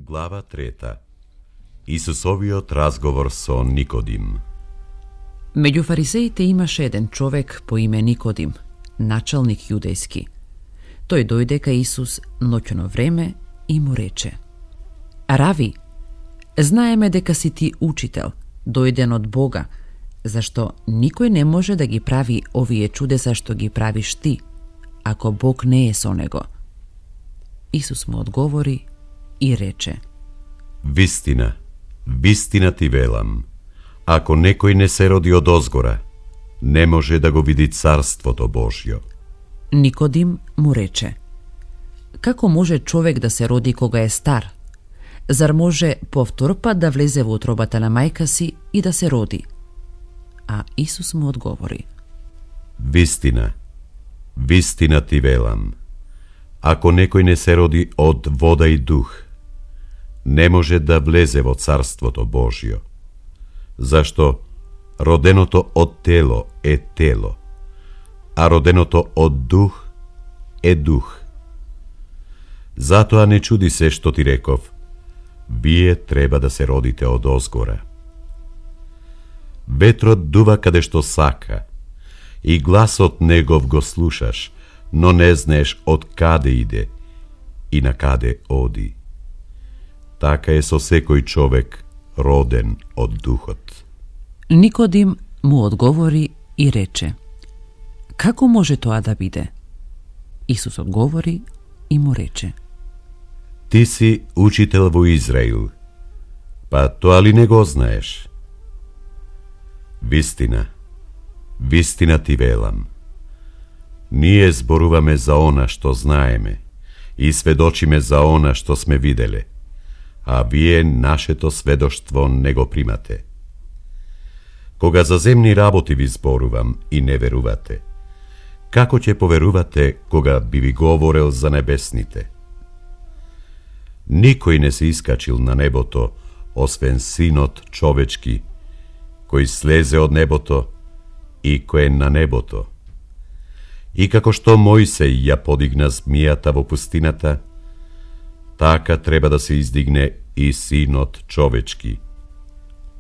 Глава 3. Исусовиот разговор со Никодим. Меѓу фарисеите имаше еден човек по име Никодим, началник јудејски. Тој дојде кај Исус ноќно време и му рече: Рави, знаеме дека си ти учител, дојден од Бога, зашто никој не може да ги прави овие чудеса што ги правиш ти, ако Бог не е со него. Исус му одговори и рече: Вистина, вистина ти велам, ако некој не се роди од озгора, не може да го види Царството Божјо. Никодим му рече: Како може човек да се роди кога е стар? Зар може повтор пат да влезе во утробата на мајка си и да се роди? А Исус му одговори: Вистина, вистина ти велам, ако некој не се роди од вода и дух, не може да влезе во Царството Божјо. Зашто роденото од тело е тело, а роденото од дух е дух. Затоа не чуди се што ти реков, вие треба да се родите од озгора. Ветрот дува каде што сака, и гласот негов го слушаш, но не знаеш од каде иде и на каде оди. Така е со секој човек роден од духот. Никодим му одговори и рече: Како може тоа да биде? Исус одговори и му рече: Ти си учител во Израил, па тоа ли не го знаеш? Вистина, вистина ти велам, ние зборуваме за она што знаеме и сведочиме за она што сме виделе, а вие нашето сведоштво не го примате. Кога за земни работи ви зборувам и не верувате, како ќе поверувате кога би ви говорел за небесните? Никој не се искачил на небото, освен Синот човечки, кој слезе од небото и кој е на небото. И како што Мојсей ја подигна змијата во пустината, така треба да се издигне и Синот човечки,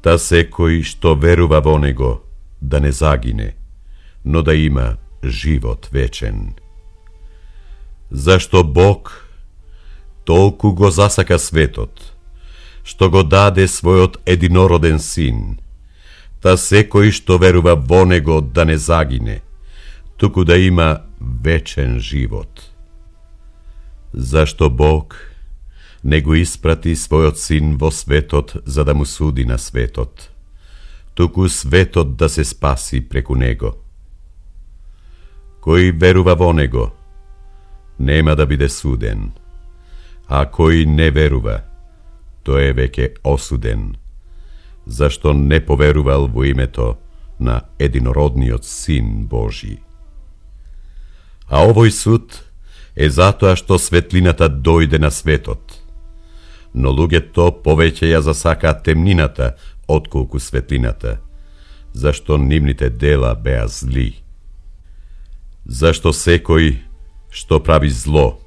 та секој што верува во него да не загине, но да има живот вечен. Зашто Бог толку го засака светот, што го даде својот единороден Син, та секој што верува во него да не загине, туку да има вечен живот. Зашто Бог не го испрати својот Син во светот за да му суди на светот, туку светот да се спаси преку него. Кој верува во него, нема да биде суден, а кој не верува, тој е веќе осуден, зашто не поверувал во името на единородниот Син Божи. А овој суд е затоа што светлината дојде на светот, но луѓето повеќе ја засакаат темнината отколку светлината, зашто нивните дела беа зли. Зашто секој што прави зло,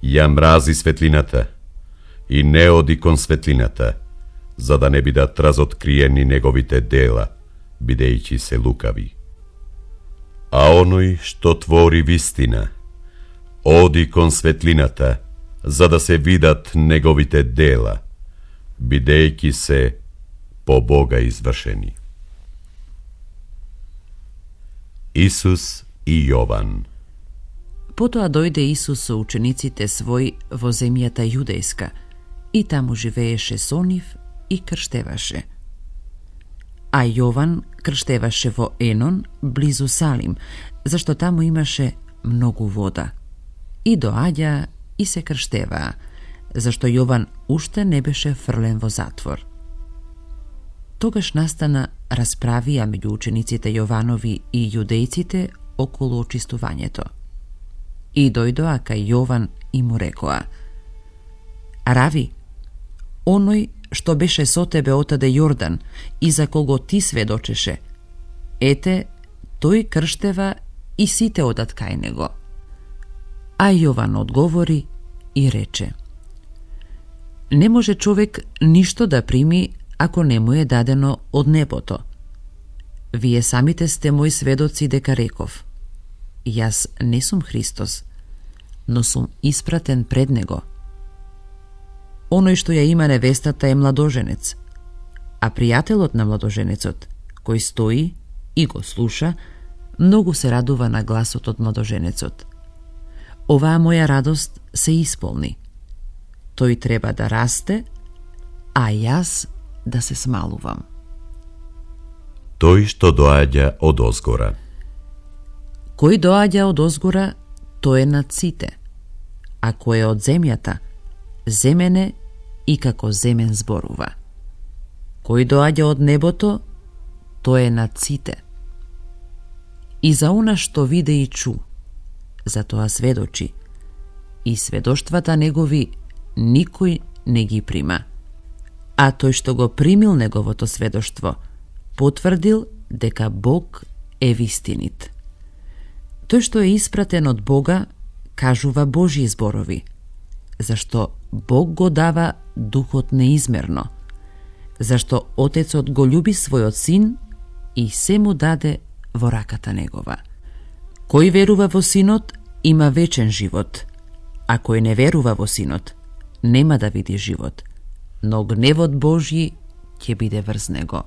ја мрази светлината и не оди кон светлината, за да не бидат разоткриени неговите дела, бидејќи се лукави. А оној што твори вистина, оди кон светлината, за да се видат неговите дела, бидејќи се по Бога извршени. Исус и Јован. Потоа дојде Исус со учениците свој во земјата јудејска и таму живееше со нив и крштеваше. А Јован крштеваше во Енон, близу Салим, зашто таму имаше многу вода. И доаѓа и се крштеваа, зашто Јован уште не беше фрлен во затвор. Тогаш настана расправија меѓу учениците Јованови и јудејците околу очистувањето. И дојдоа кај Јован и му рекоа: Рави, оној што беше со тебе отаде Јордан и за кого ти сведочеше, ете, тој крштева и сите одат кај него. А Јован одговори и рече: Не може човек ништо да прими ако не му е дадено од небото. Вие самите сте мои сведоци дека реков: Јас не сум Христос, но сум испратен пред него. Оној што ја има невестата е младоженец, а пријателот на младоженецот, кој стои и го слуша, многу се радува на гласот од младоженецот. Оваа моја радост се исполни. Тој треба да расте, а јас да се смалувам. Тој што доаѓа од озгора. Кој доаѓа од озгора, тој е над сите, а кој е од земјата, земене и како земен зборува. Кој доаѓа од небото, тој е над сите. И за она што виде и чу, за тоа сведочи, и сведоштвата негови никој не ги прима. А тој што го примил неговото сведоштво, потврдил дека Бог е вистинит. Тој што е испратен од Бога, кажува Божји зборови, зашто Бог го дава духот неизмерно, зашто Отецот го љуби својот син и се му даде во раката негова. Кој верува во синот, има вечен живот, а кој не верува во синот, нема да види живот, но гневот Божји ќе биде врз него.